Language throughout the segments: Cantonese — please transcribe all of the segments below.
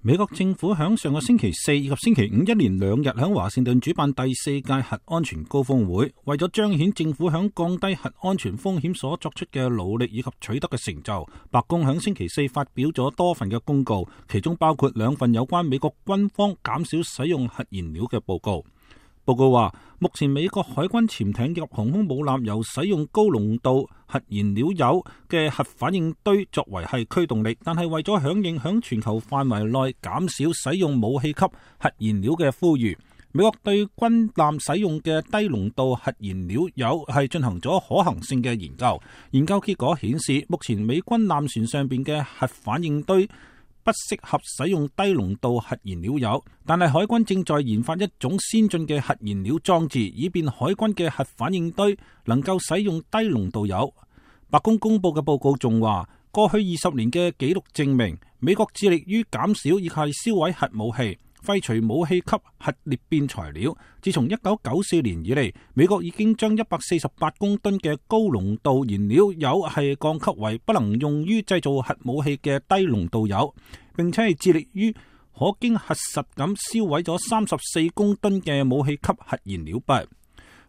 美國政府響上個星期四以及星期五一連2日響華盛頓主辦第4屆核安全高峰會，為咗彰顯政府響降低核安全風險所作出嘅努力以及取得嘅成就，白宮響星期四發表咗多份嘅公告，其中包括2份有關美國軍方減少使用核燃料嘅報告。報告話，目前美國海軍潛艇及航空母艦由使用高濃度核燃料鈾嘅核反應堆作為係驅動力，但係為咗響應響全球範圍內減少使用武器級核燃料嘅呼籲，美國對軍艦使用嘅低濃度核燃料鈾係進行咗可行性嘅研究。研究結果顯示，目前美軍艦船上邊嘅核反應堆不適合使用低濃度核燃料鈾，但係海軍正在研發一種先進嘅核燃料裝置，以便海軍嘅核反應堆能夠使用低濃度鈾。白宮公佈嘅報告仲話，過去20年嘅紀錄證明，美國致力於減少以及銷毀核武器，廢除武器級核裂變材料。自從1994年以嚟，美國已經將148公噸嘅高濃度燃料鈾係降級為不能用於製造核武器嘅低濃度鈾，並且係致力於可經核實咁銷毀咗34公噸嘅武器級核燃料筆。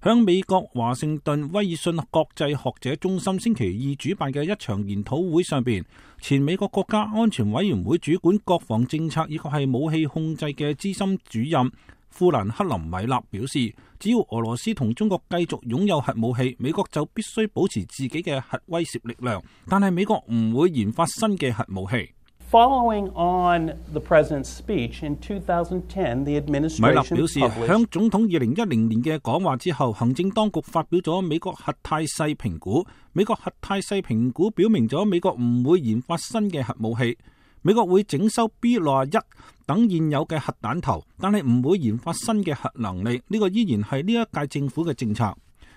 響美國華盛頓威爾遜國際學者中心星期2主辦嘅一場研討會上邊，前美國國家安全委員會主管國防政策以及係武器控制嘅資深主任富蘭克林米納表示，只要俄羅斯同中國繼續擁有核武器，美國就必須保持自己嘅核威懾力量，但係美國唔會研發新嘅核武器。Following on the president's speech in 2010, the administration 米勒表示，響總統2010年嘅講話之後，行政當局發表咗美國核態勢評估。美國核態勢評估表明咗美國唔會研發新嘅核武器，美國會整修 B61等現有嘅核彈頭，但係唔會研發新嘅核能力。呢個依然係呢一屆政府嘅政策。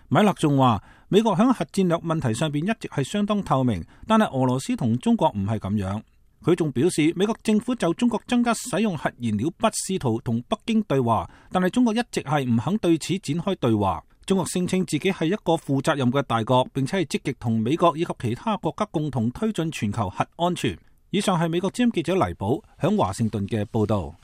米勒仲話，美國響核戰略問題上邊一直係相當透明，但係俄羅斯同中國唔係咁樣。佢仲表示，美國政府就中國增加使用核燃料筆試圖同北京對話，但係中國一直係唔肯對此展開對話。中國聲稱自己係一個負責任嘅大國，並且係積極同美國以及其他國家共同推進全球核安全。以上係美國之音記者黎寶響華盛頓嘅報道。